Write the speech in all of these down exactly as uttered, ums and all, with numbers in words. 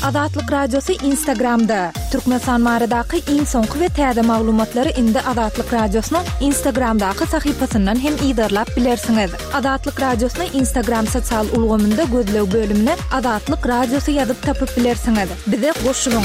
Azatlyk Radiosy Instagramda. Türkmenistan baradaky iň soňky we täze maglumatlary indi Azatlyk Radiosynyň Instagramdaky sahypasyndan hem yzarlap bilersiňiz. Azatlyk Radiosyny Instagram sosial ulgamynda gözleg bölümine Azatlyk Radiosy ýazyp tapyp bilersiňiz. Bize goşulyň.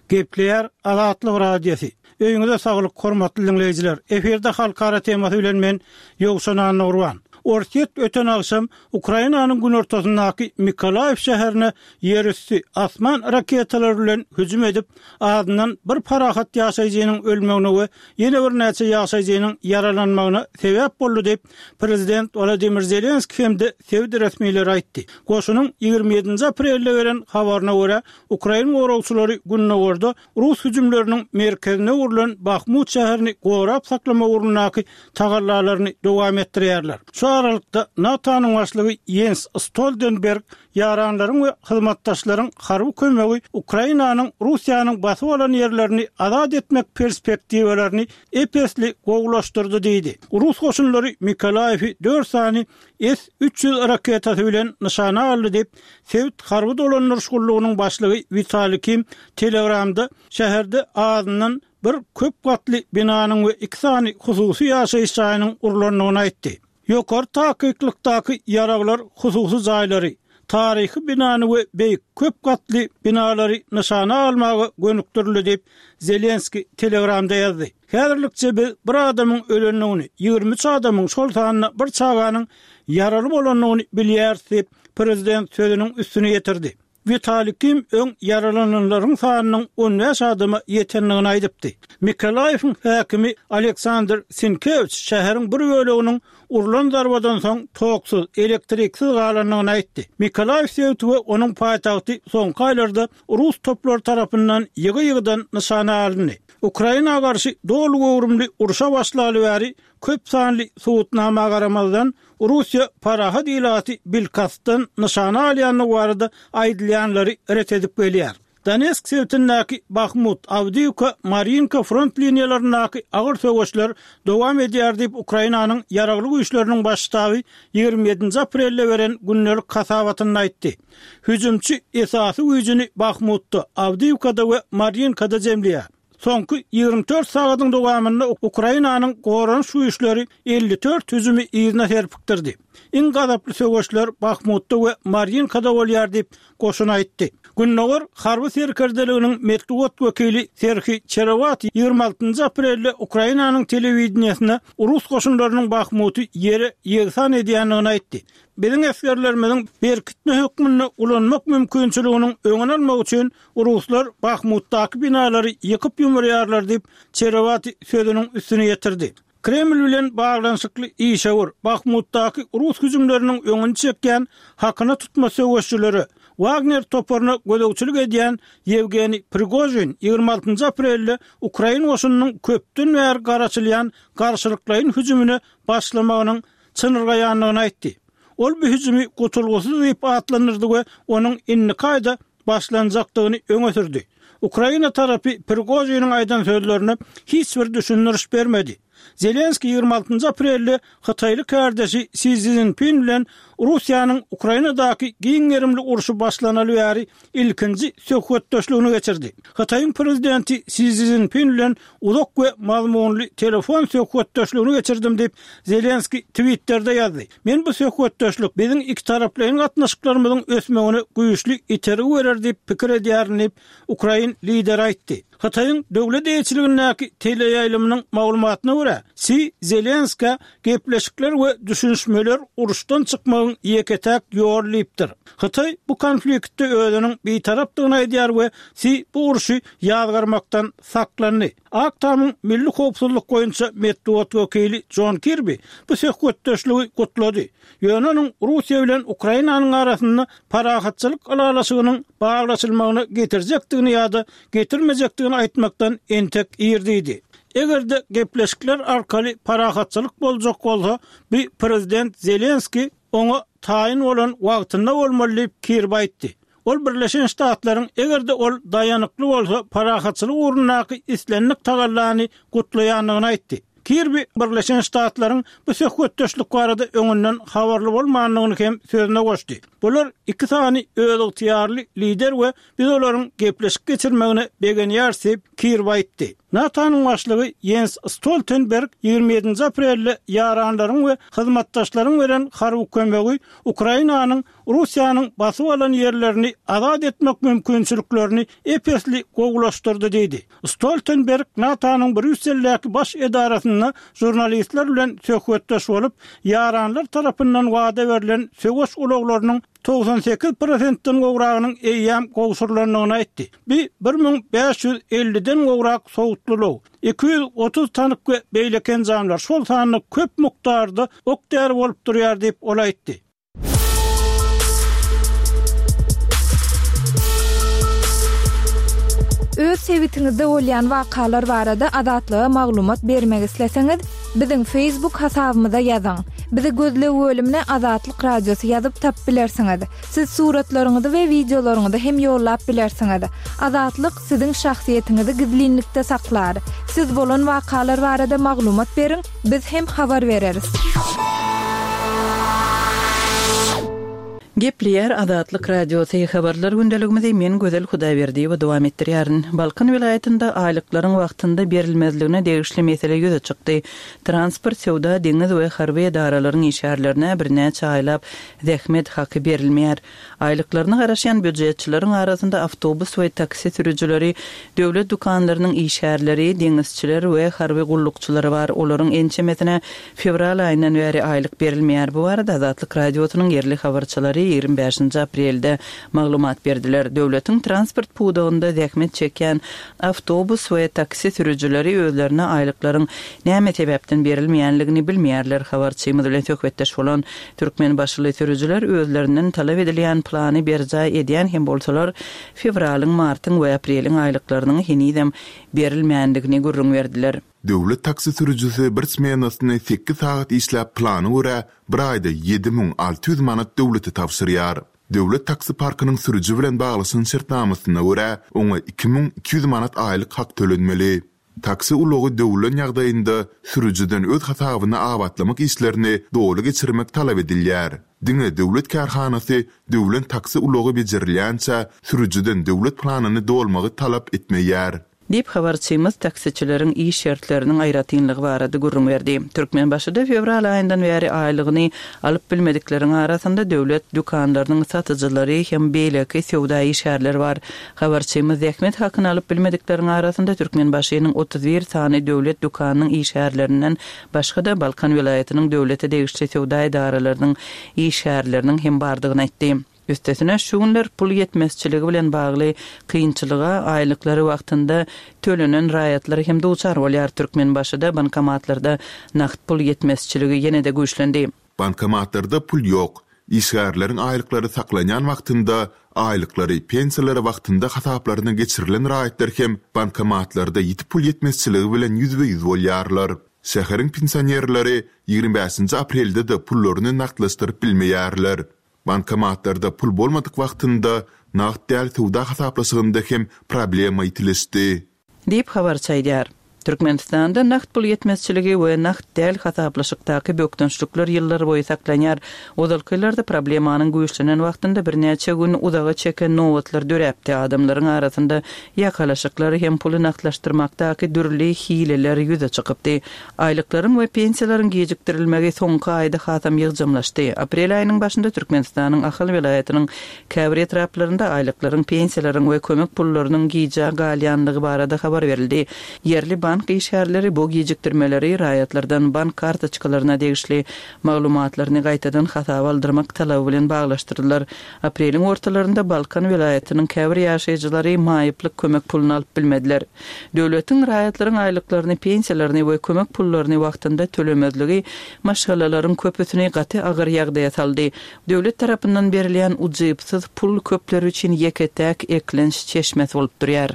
Gepleýär Azatlyk Radiosy. Öýüňize saglyk, hormatly diňleýjiler. Efirde halkara temasy bilen men Ýowşan Annagurban. Orsýet öten agşam Ukrainanyň günortasyndaky Mykolaýiw şäherine ýerüsti, asman raketalary bilen hüjüm edip, azyndan bir parahat ýaşaýjynyň ölmegine we ýene birnäçe ýaşaýjynyň ýaralanmagyna sebäp boldy diýip, prezident Wolodymyr Zelenskiý hem-de sebit resmileri aýtdy. Goşunyň ýigrimi ýedinji aprelde beren habaryna görä, ukrain goragçylary gündogarda rus hüjümleriniň merkezine öwrülen Bahmut şäherini gorap saklamak ugrundaky tagallalaryny dowam etdirýärler. Şu aralykda, NATO-nyň başlygy Ýens Stoltenberg ýaranlaryň we hyzmatdaşlaryň harby kömegi Ukrainanyň Russiýanyň basyp alan ýerlerini azat etmek perspektiwalaryny ep-esli gowulaşdyrdy diýdi. Rus goşunlary Mykolaýewi dört sany S üç ýüz raketasy bilen nyşana aldy diýip, sebit harby dolandyryş gullugynyň başlygy Witaliý Kim Telegramda şäherde azyndan bir köp gatly binanyň we iki sany hususy ýaşaýyş jaýynyň urlandygyny aýtdy. Ýokary takyklykdaky ýaraglar hususy jaýlary, taryhy binany we beýik köp gatly binalary nyşana almaga gönükdirildi diýip, Zelenskiý Telegramda ýazdy. Häzirlikçe biz bir adamyň ölendigini, ýigrimi üç adamyň, şol sanda bir çaganyň ýaraly bolandygyny bilýäris diýip, prezident sözüniň üstüni ýetirdi. Witaliý Kim öň ýaralananlaryň sanynyň on bäş adama ýetendigini aýdypdy. Mykolaýewiň häkimi Aleksandr Sinkewiç şäheriň bir böleginiň urlan zarbadan soň toksuz, elektriksiz galandygyny aýtdy. Mykolaýew sebiti we onuň paýtagty soňky aýlarda rus toplary tarapyndan ýygy-ýygydan nyşana alyndy. Ukraina garşy doly göwrümli urşa başlaly bäri köp sanly subutnama garamazdan, Russiýa parahat ilaty bilkastdan nyşana alýandygy barada aýdylýanlary ret edip gelýär. Donetsk sebitindäki Bahmut, Awdiýewka, Marýinka front liniýalaryndaky agyr söweşler dowam edýär diýip, Ukrainanyň Ýaragly Güýçleriniň Baş ştaby ýigrimi ýedinji aprelde beren gündelik hasabatynda aýtdy. Hüjümçi esasy güýjüni Bahmutda, Awdiýewkada we Marýinkada jemleýär. Soňky ýigrimi dört sagadyň dowamynda Ukrainanyň goranyş güýçleri elli dört hüjümi yzyna serpikdirdi. Iň gazaply söweşler Bahmutda we Marýinkada bolýar diýip, goşun aýtdy. Gündogar harby serkerdeliginiň metbugat wekili Serhiý Çerewaty ýigrimi altynjy aprelde Ukrainanyň telewideniýesinde rus goşunlarynyň Bahmuty ýere ýegsan edýändigini aýtdy. Biziň esgerlerimiziň berkitme hökmünde ulanmak mümkinçiliginiň öňüni almak üçin ruslar Bahmutdaky binalary ýykyp-ýumurýarlar diýip, Çerewaty sözüniň üstüni ýetirdi. Kreml bilen baglanyşykly işewür, Bahmutdaky rus hüjümleriniň öňüni çekýän hakyna tutma söweşçilere, Wagner toparyna gözegçilik edýän Ýewgeniý Prigožin ýigrimi altynjy aprelde ukrain goşunynyň köpden bäri garaşylýan garşylyklaýyn hüjümine başlamagynyň çynyrgaýandygyny aýtdy. Ol bu hüjümi gutulgysyz diýip atlandyrdy we onuň indiki aýda başlanjakdygyny öňe sürdi. Ukraina tarapy Prigožiniň aýdan sözlerine hiç bir düşündiriş bermedi. Zelenskiý ýigrimi altynjy aprelde hytaýly kärdeşi Si Szinpin bilen Russiýanyň Ukrainadaky giň gerimli urşy başlanaly bäri ilkinji söhbetdeşligini geçirdi. Hytaýyň prezidenti Si Szinpin bilen uzak we mazmunly telefon söhbetdeşligini geçirdim diýip, Zelenskiý Twitterde ýazdy. Men bu söhbetdeşlik biziň ikitaraplaýyn gatnaşyklarymyzyň ösmegine güýçli itergi berer diýip pikir edýärin diýip, ukrain lideri aýtdy. Hytaýyň döwlet eýeçiligindäki teleýaýlymynyň maglumatyna görä, Si Zelenskä gepleşikler we düşünişmeler uruşdan çykmagyň ýeke-täk ýoly diýipdir. Hytaý bu konfliktde özüniň bitarapdygyny aýdýar we Si bu urşy ýazgarmakdan saklandy. Ak Tamyň milli howpsuzlyk boýunça metbugat wekili Jon Kirbi bu söhbetdeşligi gutlady. Ýöne onuň Russiýa bilen Ukrainanyň arasynda parahatçylyk ylalaşygynyň baglaşylmagyna getirjekdigini ýa-da getirmejekdigini aýtmakdan entek ir diýdi. Eger-de gepleşikler arkaly parahatçylyk boljak bolsa, bu prezident Zelenskiý oňa taýyn bolan wagtynda bolmaly diýip, Kirbi aýtdy. Ol Birleşen Ştatlaryň eger-de ol daýanykly bolsa parahatçylyk ugrundaky islendik tagallany gutlaýandygyny aýtdy. Kirbi Birleşen Ştatlaryň bu söhbetdeşlik barada öňünden habarly bolmandygyny hem sözüne goşdy. Bular iki sany özygtyýarly lider we biz olaryň gepleşik geçirmegine begenýäris diýip, Kirby aýtdy. NATO-nyň başlygy Jens Stoltenberg ýigrimi ýedinji aprelde ýaranlaryň we hyzmatdaşlaryň beren harby kömegi Ukrainanyň Russiýanyň basyp alan ýerlerini azat etmek mümkinçiliklerini ep-esli gowulaşdyrdy diýdi. Stoltenberg NATO-nyň Brýusseldäki baş edarasynda žurnalistler bilen söhbetdeş bolup, ýaranlar tarapyndan wada berlen söweş ulaglarynyň togsan sekiz prosentden gowragynyň eýýäm gowşurylandygyny aýtdy. Bu bir müň bäş ýüz elliden gowrak sowutly ulag, iki ýüz otuz tank we beýleki enjamlar, şol sanda köp mukdarda ok-däri bolup durýar diýip, ol aýtdy. Öz sebitiňizde bolýan wakalar barada Azatlyga maglumat bermek isleseňiz, biziň Facebook hasabymyza ýazyň. Bizi gözleg bölümine Azatlyk Radiosy ýazyp tapyp bilersiňiz. Siz suratlaryňyzy we wideolaryňyzy hem ýollap bilersiňiz. Azatlyk siziň şahsyýetiňizi gizlinlikde saklar. Siz bolan wakalar barada maglumat beriň, biz hem habar bereris. Gepleýär Azatlyk Radiosy habarlar gündeligimizi men Gözel Hudaýberdiýewa dowam etdirýärin. Balkan welaýatynda aýlyklaryň wagtynda berilmezligine degişli mesele ýüze çykdy. Transport, söwda, deňiz we harby edaralaryň işgärlerine birnäçe aýlap zähmet haky berilmeýär. Aýlyklaryna garaşýan býujetçileriň arasynda awtobus we taksi sürüjileri, döwlet dükanlarynyň işgärleri, deňizçiler we harby gullukçylary bar. Olaryň ençemesine fewral aýyndan bäri aýlyk berilmeýär. Bu barada Azatlyk Radiosynyň ýerli habarçylary ýigrimi bäşinji aprelde maglumat berdiler. Döwletiň transport pudagynda zähmet çekýän awtobus we taksi sürüjileri özlerine aýlyklaryň näme sebäpden berilmeýänligini bilmeýärler. Habarçymyz bilen söhbetdeş bolan türkmenbaşyly sürüjiler özlerinden talap edilýän plany berjaý edýän hem bolsalar, fewralyň, martyň we apreliň aýlyklarynyň henizem berilmändigini gürrüň berdiler. Döwlet taksi sürüjisi bir smenasyny sekiz sagat işläp plana görä bir aýda ýedi müň alty ýüz manat döwlete tabşyrýar. Döwlet taksi parkynyň sürüji bilen baglaşan şertnamasyna görä oňa iki müň iki ýüz manat aýlyk hak tölenmeli. Taksi ulagy döwlen ýagdaýynda sürüjiden öz hasabyna abatlamak işlerini doly geçirmek talap edilýär. Diňe döwlet kärhanasy döwlen taksi ulagy becerilýänçä sürüjiden döwlet planyny dolmagy talap etmeýär. Diýip habarçymyz taksiçileriň iş şertleriniň aýratynlygy barada gürrüň berdi. Türkmenbaşyda fewral aýyndan bäri aýlygyny alyp bilmedikleriň arasynda döwlet dükanlarynyň satyjylary hem beýleki söwda işgärleri bar. Habarçymyz zähmet hakyny alyp bilmedikleriň arasynda Türkmenbaşynyň otuz bir sany döwlet dükanynyň işgärlerinden başga-da Balkan welaýatynyň döwlete degişli söwda edaralarynyň işgärleriniň hem bardygyny aýtdy. Üstesine şu günler pul ýetmezçiligi bilen bagly kynçylyga aýlyklary wagtynda tölenen raýatlar hem duçar bolýar. Türkmenbaşyda bankomatlarda nagt pul ýetmezçiligi ýene-de güýçlendi. Bankomatlarda pul ýok. Işgärleriň aýlyklary saklanýan wagtynda aýlyklary pensiýalary wagtynda hasaplaryna geçirilen raýatlar hem bankomatlarda ýiti pul ýetmezçiligi bilen ýüzbe-ýüz bolýarlar. Şäheriň pensionerleri ýigrimi bäşinji aprelde de pullaryny nagtlaşdyryp bilmeýärler. Bankomatlarda pul bolmadyk wagtynda nagt däl söwda hasaplaşygynda hem problema ýitileşdi. Diýip habarçy aýdýar. Türkmenistanda nagt pul ýetmezçiligi we nagt däl hasaplaşykdaky bökdençlikler ýyllar boýy saklanýar. Ozalky ýyllarda problemanyň güýçlenen wagtynda birnäçe gün uzaga çeken nobatlar döräpdi. Adamlaryň arasynda ýakalaşyklar hem puly nagtlaşdyrmakdaky dürli hileler ýüze çykypdy. Aýlyklaryň we pensiýalaryň gijikdirilmegi soňky aýda hasam ýygjamlaşdy. Aprel aýynyň başynda Türkmenistanyň Ahal welaýatynyň käbir etraplarynda aýlyklaryň, pensiýalaryň we kömek pullarynyň gijä galýanlygy barada habar berildi. Ýerli bank işgärleri bu gijikdirmeleri raýatlardan bank kartoçkalaryna degişli maglumatlaryny gaýtadan hasaba aldyrmak talaby bilen baglaşdyrdylar. Apreliň ortalarynda Balkan welaýatynyň käbir ýaşaýjylary maýyplyk kömek puluny alyp bilmediler. Döwletiň raýatlaryň aýlyklaryny, pensiýalaryny we kömek pullaryny wagtynda tölemezligi maşgalalaryň köpüsini gaty agyr ýagdaýa saldy. Döwlet tarapyndan berilýän ujypsyz pul köpler üçin ýeke-täk eklenç çeşmesi bolup durýar.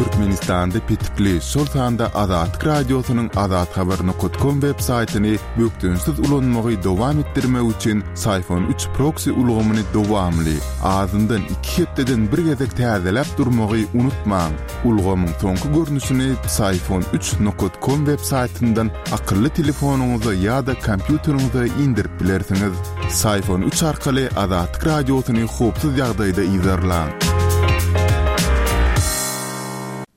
Türkmenistanda petikli, şol sanda Azatlyk Radiosynyň azathabar nokat kom web saýtyny bökdençsiz ulanmagy dowam etdirmek üçin Syfon üç proksi ulgamyny dowamly, azyndan iki hepdeden bir gezek täzeläp durmagy unutmaň. Ulgamyň soňky görnüşini Psiphon üç nokat kom web saýtyndan akylly telefonyňyza ýa-da kompýuteriňize indirip bilersiňiz. Psiphon üç arkaly Azatlyk Radiosyny howpsuz ýagdaýda yzarlaň.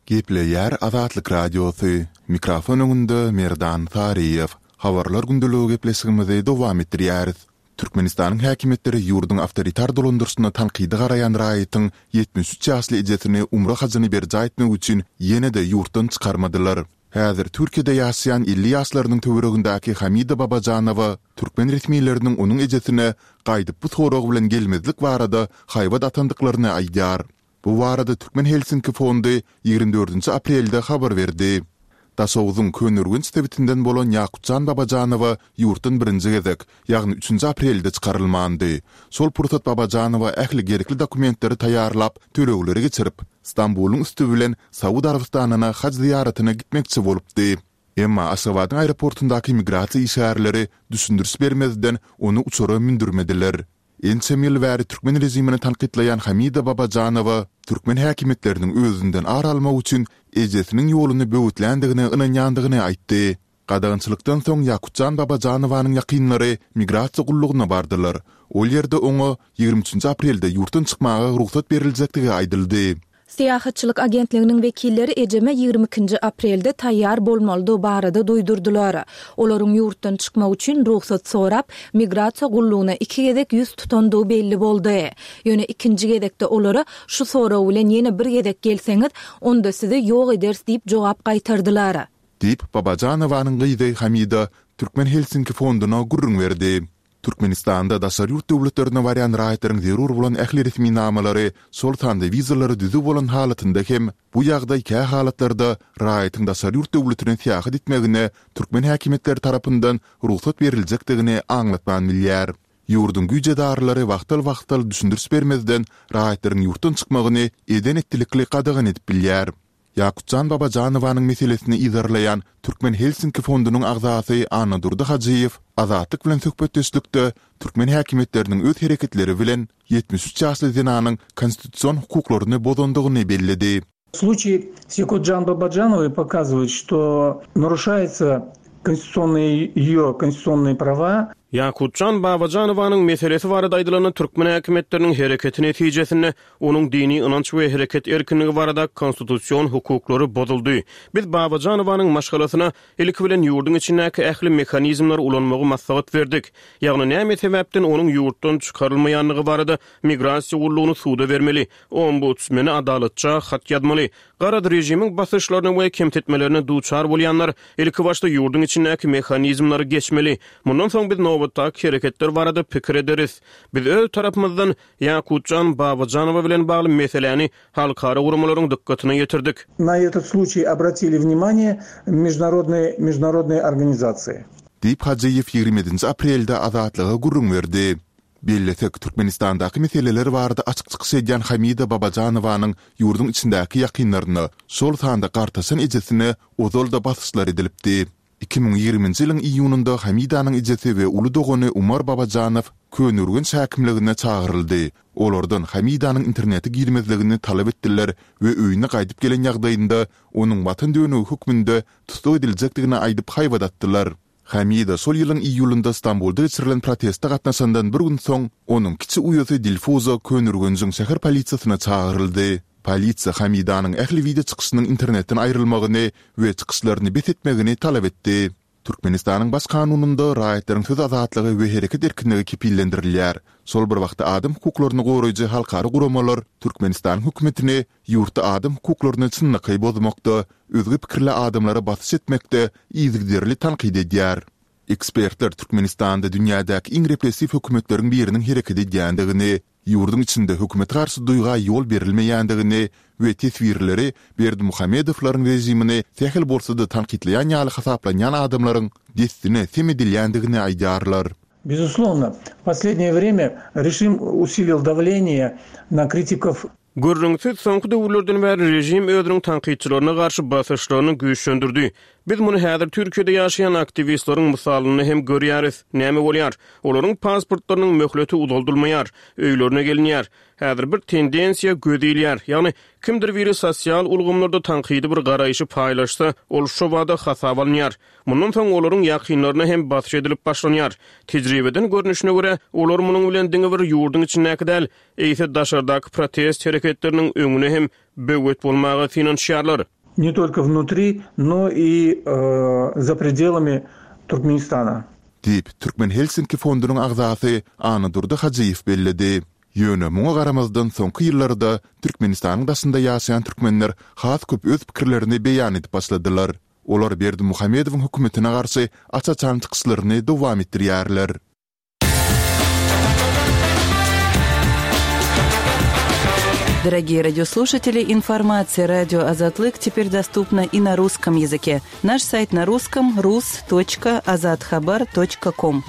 Gepleýär Azatlyk Radiosy, mikrofon öňünde Merdan Saryýew. Habarlar gündeligi gepleşigimizi dowam etdirýäris. Türkmenistanyň häkimiýetleri ýurduň awtoritar dolandyryşyna tankydy garaýan raýatyň ýetmiş üç ýaşly ejesini umra hajyny berjaý etmek üçin ýene-de ýurtdan çykarmadylar. Häzir Türkiýede ýaşaýan elli ýaşlarynyň töweregindäki Hamida Babajanowa türkmen resmileriniň onuň ejesine gaýdyp bu sorag bilen gelmezlik barada haýbat atandyklaryny aýdýar. Bu barada Türkmen Helsinki fondy ýigrimi dördünji aprelde habar berdi. Daşogzuň Köneürgenç sebitinden bolan Ýakutjan Babajanowa ýurtdan birinji gezek, ýagny üçünji aprelde çykarylmandy. Şol pursat Babajanowa ähli gerekli dokumentleri taýýarlap, tölegleri geçirip, Stambulyň üsti bilen Saud Arabystanyna haj zyýaratyna gitmekçi bolupdy. Emma Aşgabadyň aeroportundaky migrasiýa işgärleri düşündiriş bermezden ony uçara mündürmediler. Ençeme ýyl bäri türkmen režimini tankytlaýan Hamida Babajanowa türkmen häkimiýetleriniň özünden ar almak üçin ejesiniň ýoluny böwetländigine ynanýandygyny aýtdy. Gadagançylykdan soň Ýakutjan Babajanowanyň ýakynlary migrasiýa gullugyna bardylar. Ol ýerde oňa ýigrimi üçünji aprelde ýurtdan çykmaga rugsat beriljekdigi aýdyldy. Syýahatçylyk agentliginiň wekilleri ejeme ýigrimi ikinji aprelde taýýar bolmalydygy barada duýdurdylar. Olaryň ýurtdan çykmak üçin rugsat sorap, migrasiýa gullugyna iki gezek ýüz tutandygy belli boldy. Ýöne ikinji gezekde olara şu sorag bilen ýene bir gezek gelseňiz, onda sizi ýok ederis diýip jogap gaýtardylar. Diýip, Babajanowanyň gyzy Hamida Türkmen Helsinki fonduna gürrüň berdi. Türkmenistanda daşary ýurt döwletlerine barýan raýatlaryň zerur bolan ähli resminamalary, şol sanda wizalary düzüw bolan halatynda hem, bu ýagdaý kä halatlarda raýatyň daşary ýurt döwletine syýahat etmegine türkmen häkimiýetleri tarapyndan rugsat beriljekdigini aňlatman bilýär. Ýurduň güýç edaralary wagtal-wagtal düşündiriş bermezden raýatlaryň ýurtdan çykmagyny eden-etdilikli gadagan edip bilýär. Ýakutjan Babajanowanyň meselesini yzarlaýan Türkmen Helsinki fondunyň agzasy Annadurdy Hajyýew Azatlyk bilen söhbetdeşlikde türkmen häkimiýetleriniň öz hereketleri bilen ýetmiş üç ýaşly zenanyň konstitusion hukuklaryny bozandygyny belledi. Случай с Якутжан Бабаджановой показывает, что нарушается конституционные, ее конституционные права. Ýakutjan Babajanowanyň meselesi barada aýdylanda türkmen häkimiýetleriniň hereketi netijesinde onuň dini ynanç we hereket erkinligi barada konstitusion hukuklary bozuldy. Biz Babajanowanyň maşgalasyna ilki bilen ýurduň içindäki ähli mehanizmleri ulanmagy maslahat berdik. Ýagny näme sebäpden onuň ýurtdan çykarylmaýanlygy barada migrasiýa gullugyny suda bermeli, ombudsmene adalatça hat ýazmaly. Garad režimiň basyşlaryna we kemtetmelerine duçar bolýanlar ilki başda ýurduň içindäki mehanizmleri geçmeli. Mundan soň biz nobatdaky hereketler barada pikir ederis. Biz öz tarapymyzdan Ýakutjan Babajanowa bilen bagly meseläni halkara guramalaryň dykgatyna ýetirdik. На этот случай обратили внимание международные, международные организации. Diýip, Hajyýew ýigrimi ýedinji aprelde Azatlyga gürrüň berdi. Bellesek, Türkmenistandaky meseleler barada açyk çykyş edýän Hamida Babajanowanyň ýurduň içindäki ýakynlaryna, şol sanda gartaşan ejesine ozal-da basyşlar edilipdi. Iki müň ýigriminji ýylyň iýunynda Hamidanyň ejesi we uly dogany Umar Babajanow Köneürgenç häkimligine çagyryldy. Olardan Hamidanyň internete girmezligini talap etdiler we öýüne gaýdyp gelen ýagdaýynda onuň watan dönügi hökmünde tussag ediljekdigini aýdyp haýbat atdylar. Hamida şol ýylyň iýulynda Stambulda geçirilen proteste gatnaşandan bir gün soň, onuň kiçi uýasy Dilfuza Köneürgenjiň şäher polisiýasyna çagyryldy. Polisiýa Hamidanyň ähli wideo çykyşynyň internetden aýrylmagyny we çykyşlaryny bes etmegini talap etdi. Türkmenistanyň Baş kanunynda raýatlaryň söz azatlygy we hereket erkinligi kepillendirilýär. Şol bir wagtda adam hukuklaryny goraýjy halkara guramalar Türkmenistanyň hökümetini ýurtda adam hukuklaryny çynlakaý bozmakda, özge pikirli adamlara basyş etmekde yzygiderli tankyt edýär. Ekspertler Türkmenistanda dünýädäki iň repressiw hökümetleriň biriniň hereket edýändigini, ýurduň içinde hökümete garşy duýga ýol berilmeýändigini we teswirleri Berdimuhamedowlaryň režimini sähel bolsa-da tankytlaýan ýaly hasaplanýan adamlaryň dessine sem edilýändigini aýdýarlar. Безусловно, в последнее время режим усилил давление на критиков. Gürrüňsiz, soňky döwürlerden bäri režim özüniň tankytçylaryna garşy basyşlaryny güýçlendirdi. Biz muny häzir Türkiýede ýaşaýan aktiwistleriň mysalynda hem görýäris. Näme bolýar? Olaryň pasportlarynyň möhleti uzaldylmaýar, öýlerine gelinýär. Häzir bir tendensiýa göz ilýär. Ýagny kimdir biri sosial ulgamlarda tankydy bir garaýşy paýlaşsa, ol şobada hasaba alynýar. Mundan soň olaryň ýakynlaryna hem basyş edilip başlanýar. Tejribeden görnüşine görä, olar munuň bilen diňe bir ýurduň içindäki däl, eýse daşardaky protest hereketleriniň öňüne hem böwet bolmaga synanyşýarlar. Не только внутри, но и э, за пределами Туркменистана. Diýip, Türkmen Helsinki fondunyň agzasy Annadurdy Hajyýew belledi. Ýöne muňa garamazdan soňky ýyllarda Türkmenistanyň daşynda ýaşaýan türkmenler has köp öz pikirlerini beýan edip başladylar. Olar Berdimuhamedowyň hökümetine garşy aç-açan çykyşlaryny dowam etdirýärler. Дорогие радиослушатели, информация радио Азатлык теперь доступна и на русском языке. Наш сайт на русском rus.azathabar.com.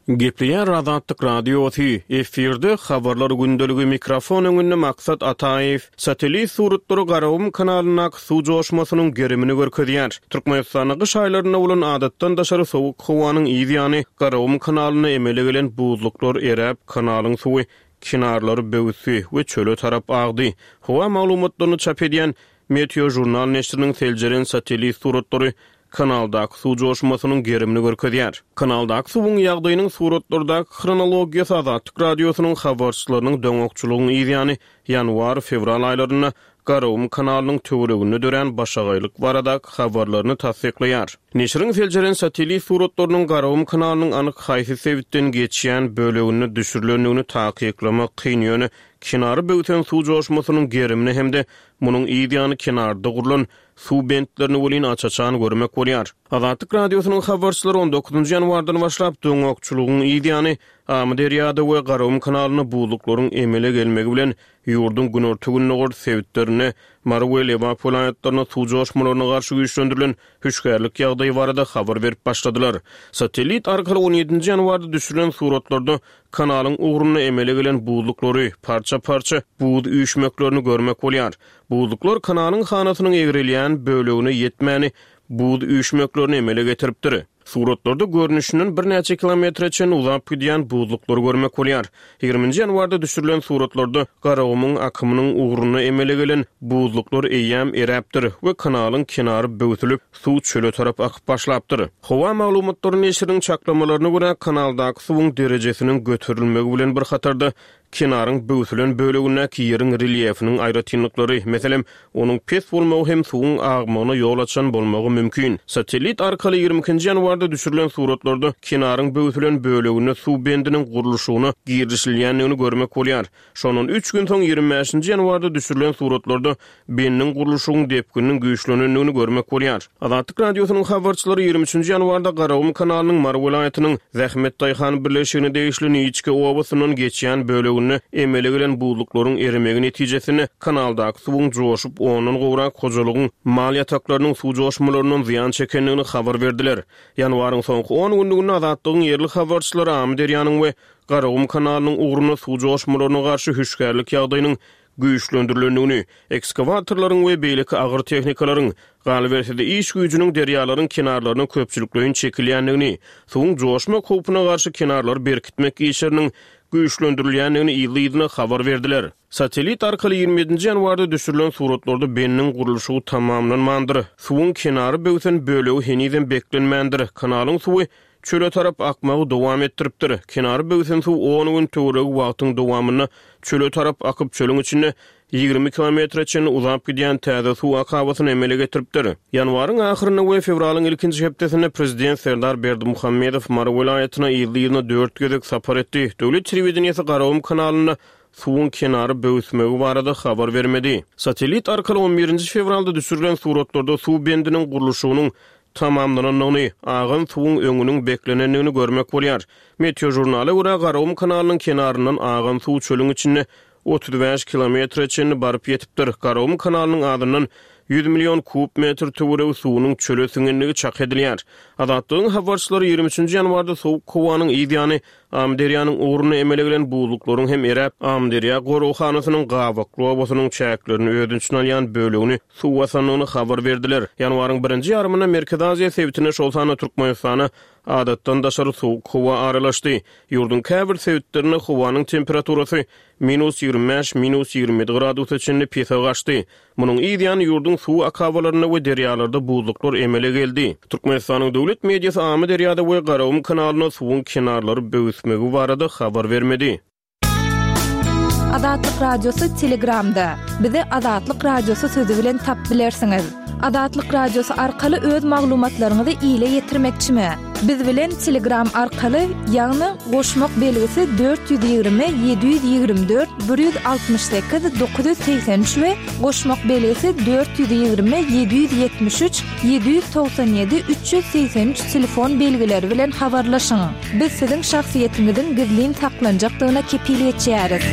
Gepleýär Azatlyk Radiosy, efirde habarlar gündeligi mikrofon öňünde Maksat Ataýew, satellit suratlary Garagum kanalyndaky suw joşmasynyň gerimini görkezýär. Türkmenistanyň gyş aýlarynda bolan adatdan daşary sowuk howanyň yz ýany Garagum kanalyna emele gelen buzluklar eräp, kanalyň suwy kenarlary böwüsdi we çöle tarap agdy. Howa maglumatlaryny çap edýän Meteo jurnal neşiriniň seljeren satellit suratlary kanaldaky suw joşmasynyň gerimini görkezýär. Kanaldaky suwuň ýagdaýynyň suratlardaky hronologiýasy Azatlyk Radiosynyň habarçylarynyň doňakçylygyň yz ýany ýanwar-fewral aýlarynda Garagum kanalynyň töwereginde dörän başagaýlyk baradaky habarlaryny tassyklaýar. Neşiriň seljeren satellit suratlarynyň Garagum kanalynyň anyk haýsy sebitden geçýän böleginde düşürilendigini takyklamak kyn ýöne kenary böwsen suw joşmasynyň gerimini hem-de munuň yz ýany kenarda gurlan suw bentlerini welin aç-açan görmek bolýar. Azatlyk Radiosynyň habarçylary on dokuzynjy ýanwardan başlap doňakçylygyň yz ýany Amyderýada we Garagum kanalynda buzluklaryň emele gelmegi bilen ýurduň günorta-gündogar sebitlerinde Mary we Lebap welaýatlarynda suw joşmalaryna garşy güýçlendirilen hüşgärlik ýagdaýy barada habar berip başladylar. Satellit arkaly on ýedinji ýanwarda düşürilen suratlarda kanalyň ugrunda emele gelen buzluklary, parça-parça buz üýşmeklerini görmek bolýar. Buzluklar kanalyň hanasynyň egrelýän bölegine ýetmäni buz üýşmeklerini emele getiripdir. Suratlarda görnüşinden birnäçe kilometre çenli uzap gidýän buzluklary görmek bolýar. Ýigriminji ýanwarda düşürilen suratlarda Garagumuň akymynyň ugruna emele gelen buzluklar eýýäm eräpdir we kanalyň kenary böwsülip, suw çöle tarap akyp başlapdyr. Howa maglumatlary neşiriniň çaklamalaryna görä kanaldaky suwuň derejesiniň göterilmegi bilen bir hatarda kenaryň böwsülen bölegindäki ýeriň relýefiniň aýratynlyklary, meselem, onuň pes bolmagy hem suwuň agmagyna ýol açan bolmagy mümkin. Satellit arkaly ýigrimi ikinji ýanwarda düşürilen suratlarda kenaryň böwsülen böleginde suw bendiniň gurluşygyna girişilýändigini görmek bolýar. Şondan üç gün soň ýigrimi bäşinji ýanwarda düşürilen suratlarda bendiniň gurluşygyň depgininiň güýçlenendigini görmek bolýar. Azatlyk Radiosynyň habarçylary ýigrimi üçünji ýanwarda Garagum kanalynyň Mary welaýatynyň Zähmet Daýhan birleşigine degişli Niçke obasyndan geçýän böleginde emele gelen buzluklaryň eremegi netijesinde kanaldaky suwuň joşup ondan gowrak hojalygyň mal ýataklarynyň suw joşmalaryndan zyýan çekendigini habar berdiler. Ýanwaryň soňky on günlüginde Azatlygyň ýerli habarçylary Amyderýanyň we Garagum kanalynyň ugruna suw joşmalaryna garşy hüşgärlik ýagdaýynyň güýçlendirilendigini, ekskavatorlaryň we beýleki agyr tehnikalaryň, galyberse-de iş güýjüniň derýalaryň kenarlaryna köpçülikleýin çekilýändigini, suwuň joşma howpuna garşy kenarlary berkitmek işleriniň güýçlendirilýändigini ýyly-ýylyna habar berdiler. Satellit arkaly ýigrimi ýedinji ýanwarda düşürilen suratlarda bendiniň gurluşygy tamamlanmandyr. Suwuň kenary böwsen bölegi henizem beklenmändir. Kanalyň suwy çöle tarap akmagy dowam etdiripdir. Kenary böwsen suw on gün töweregi wagtyň dowamynda çöle tarap akyp çölüň içinde ýigrimi kilometre çenli uzap gidýän täze suw akabasyny emele getiripdir. Ýanwaryň ahyrynda we fewralyň ilkinji hepdesinde prezident Serdar Berdimuhamedow Mary welaýatyna ýyly-ýylyna dört gezek sapar etdi. Döwlet telewideniýesi Garagum kanalynda suwuň kenary böwüsmegi barada habar bermedi. Satellit arkaly on birinji fewralda düşürilen suratlarda suw bendiniň gurluşygynyň tamamlanandygyny, agan suwuň öňüniň beklenendigini görmek bolýar. Meteo jurnala görä Garagum kanalynyň kenaryndan agan suw çölüň içinde otuz bäş kilometre çenli baryp ýetipdir. Garagum kanalynyň adyndan ýüz million kub metr töweregi suwunyň çöle siňenligi çak edilýär. Azatlygyň habarçylary ýigrimi üçünji ýanwarda sowuk howanyň yzýany Amyderýanyň ugrunda emele gelen buzluklaryň hem eräp, Amyderýa goraghanasynyň Gabakly obasynyň çäklerini öz içine alýan bölegini suw basandygyny habar berdiler. Ýanwaryň birinji ýarymynda Merkezi Aziýa sebitine, şol sanda Türkmenistana adatdan daşary sowuk howa aralaşdy. Ýurduň käbir sebitlerinde howanyň temperaturasy minus ýigrimi bäş, minus ýigrimi ýedi gradusa çenli pese gaçdy. Munuň yzýany ýurduň suw akabalarynda we derýalarda buzluklar emele geldi. Türkmenistanyň döwlet mediasy Amyderýada we Garagum kanalynda suwuň kenarlary böwüsmegi barada habar bermedi. Azatlyk Radiosy Telegramda. Bizi Azatlyk Radiosy sözi bilen tap bilersiňiz. Azatlyk Radiosy arkaly öz maglumatlaryňyzy ile ýetirmekçimi? Biz bilen Telegram arkaly, ýagny goşmak belgisi dört ýüz ýigrimi ýedi ýüz ýigrimi dört bir ýüz altmyş sekiz dokuz ýüz segsen üç we goşmak belgisi dört ýüz ýigrimi ýedi ýüz ýetmiş üç ýedi ýüz togsan ýedi üç ýüz segsen üç telefon belgileri bilen habarlaşyň. Biz siziň şahsyýetiňiziň gizlin saklanjakdygyna kepil geçýäris.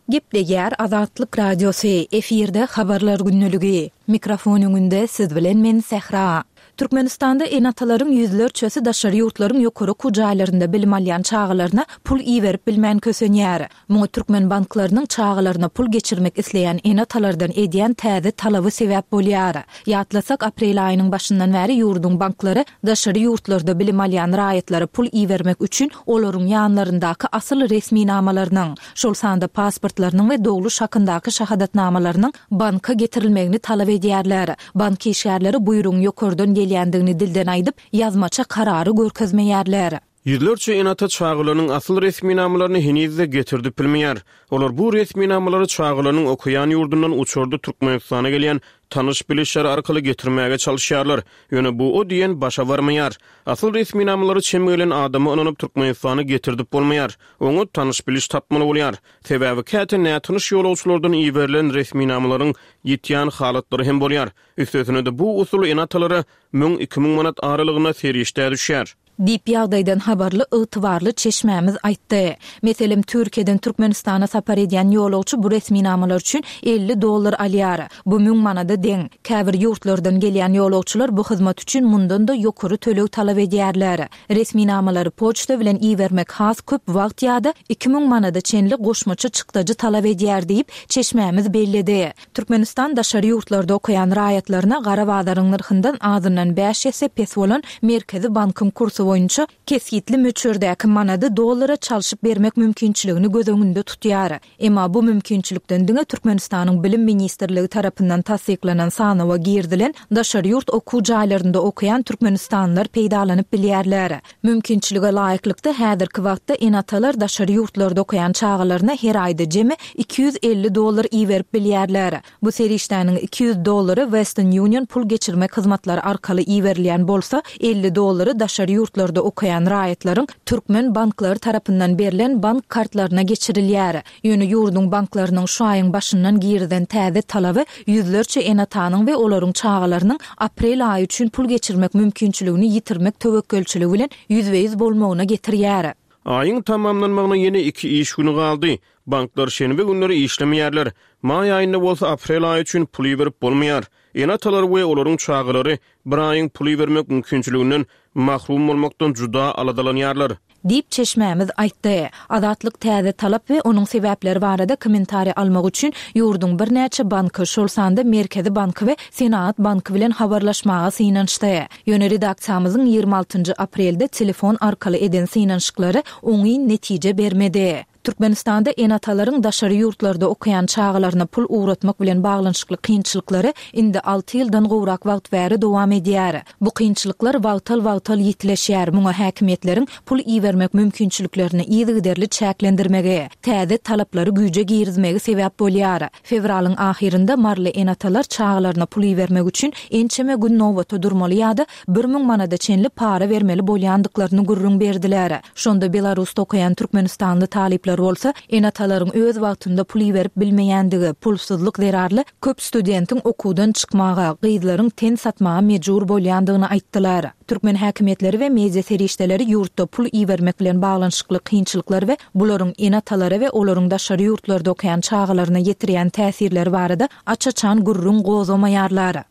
Gepleýär Azatlyk Radiosy, efirde habarlar günlügi. Mikrofon öňünde siz bilen men Sähra. Türkmenistanda ene-atalaryň ýüzlerçesi daşary ýurtlaryň ýokary okuw jaýlarynda bilim alýan çagalaryna pul iberip bilmän kösenýär. Muňa türkmen banklarynyň çagalaryna pul geçirmek isleýän ene-atalardan edýän täze talaby sebäp bolýar. Ýatlasak, aprel aýynyň başyndan bäri ýurduň banklary daşary ýurtlarda bilim alýan raýatlara pul ibermek üçin olaryň ýanlaryndaky asyl resminamalarynyň, şol sanda pasportlarynyň we dogluş hakyndaky şahadatnamalarynyň banka getirilmegini talap edýärler. Bank işgärleri buýrugyň ýokardan gelýändigini dilden aýdyp, ýazmaça karary görkezmeýärler. Ýüzlerçe ene-ata çagalarynyň asyl resminamalaryny henizde getirdip bilmeýär. Olar bu resminamalary çagalarynyň okaýan ýurdundan uçarda Türkmenistana gelýän tanyş bilişler arkaly getirmäge çalışýarlar. Ýöne bu o diýen başa barmaýar. Asyl resminamalary çem gelen adama ynanyp Türkmenistana getirdip bolmaýar. Oňa tanyş biliş tapmaly bolýar. Sebäbi käte nätanyş ýolagçylardan iberilen resminamalaryň ýetýän halatlary hem bolýar. Üstesine de bu usul ene-atalara müň iki müň manat aralygyna serişde düşýär. Diýip ýagdaýdan habarly ygtybarly çeşmämiz aýtdy. Meselem, Türkiýeden Türkmenistana sapar edýän ýolagçy bu resminamalar üçin elli dollar alýar. Bu müň manada deň. Käbir ýurtlardan gelýän ýolagçylar bu hyzmat üçin mundan da ýokary töleg talap edýärler. Resminamalary poçta bilen ibermek has köp wagt ýa-da iki müň manada çenli goşmaça çykdajy talap edýär diýip, çeşmämiz belledi. Türkmenistan daşary ýurtlarda okaýan raýatlaryna gara bazaryň nyrhyndan azyndan bäş esse pes bolan Merkezi bankyň kursy boýunça kesgitli möçberdäki manady dollara çalşyp bermek mümkinçiligini göz öňünde tutýar. Emma bu mümkinçilikden diňe Türkmenistanyň Bilim Ministrligi tarapyndan tassyklanan sanawa girdilen daşary ýurt okuw jaýlarynda okaýan türkmenistanlylar peýdalanyp bilýärler. Mümkinçilige laýyklykda häzirki wagtda ene-atalar daşary ýurtlarda okaýan çagalaryna her aýda jemi iki ýüz elli dollar iberip bilýärler. Bu serişdäniň iki ýüz dollary Western Union pul geçirmek hyzmatlary arkaly iberilýän bolsa, elli dollary daşary ýurtlarda okaýan raýatlaryň türkmen banklary tarapyndan berlen bank kartlaryna geçirilýär. Ýöne ýurduň banklarynyň şu aýyň başyndan girizen täze talaby ýüzlerçe ene-atanyň we olaryň çagalarynyň aprel aýy üçin pul geçirmek mümkinçiligini ýitirmek töwekgelçiligi bilen ýüzbe-ýüz bolmagyna getirýär. Aýyň tamamlanmagyna ýene iki iş güni galdy. Banklar şenbe günleri işlemeýärler. Maý aýynda bolsa aprel aýy üçin pul iberip bolmaýar. Ene-atalar we olaryň çagalary bir aýyň pul ibermek mümkinçiliginden mahrum bolmakdan juda aladalanýarlar. Diýip çeşmämiz aýtdy. Azatlyk täze talap we onuň sebäpleri barada kommentariý almak üçin ýurduň birnäçe banky, şol sanda Merkezi banky we Senagat banky bilen habarlaşmaga synanyşdy. Ýöne redaksiýamyzyň ýigrimi altynjy aprelde telefon arkaly eden synanyşyklary oňyn netije bermedi. Türkmenistanda ene-atalaryň daşary ýurtlarda okaýan çagalaryna pul ugratmak bilen baglanyşykly kynçylyklary indi alty ýyldan gowrak wagt bäri dowam edýär. Bu kynçylyklar wagtal-wagtal ýitileşýär. Muňa häkimiýetleriň pul ibermek mümkinçiliklerini yzygiderli çäklendirmegi, täze talaplary güýje girizmegi sebäp bolýar. Fewralyň ahyrynda maryly ene-atalar çagalaryna pul ibermek üçin ençeme gün nobata durmaly ýa-da bir müň manada çenli para bermeli bolýandyklaryny gürrüň berdiler. Şonda Belarusda okaýan türkmenistanly talyplar Talyplar bolsa, ene-atalaryň öz wagtynda pul iberip bilmeýändigi, pulsuzlyk zerarly köp studentiň okuwdan çykmaga, gyzlaryň ten satmaga mejbur bolýandygyny aýtdylar. Türkmen häkimiýetleri we media serişdeleri ýurtda pul ibermek bilen baglanyşykly kynçylyklar we bularyň ene-atalara we olaryň daşary ýurtlarda okaýan çagalaryna ýetirýän täsirleri barada aç-açan gürrüň gozgamaýarlar.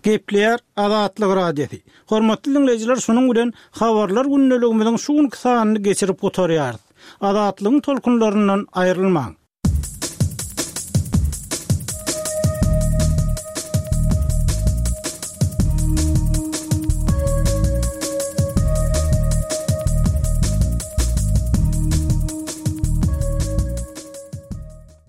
Gepleýär Azatlyk Radiosy. Hormatly diňleýjiler, şunuň bilen Habarlar gündeligimiziň şu günki sanyny geçirip gutarýarys. Azatlygyň tolkunlaryndan aýrylmaň.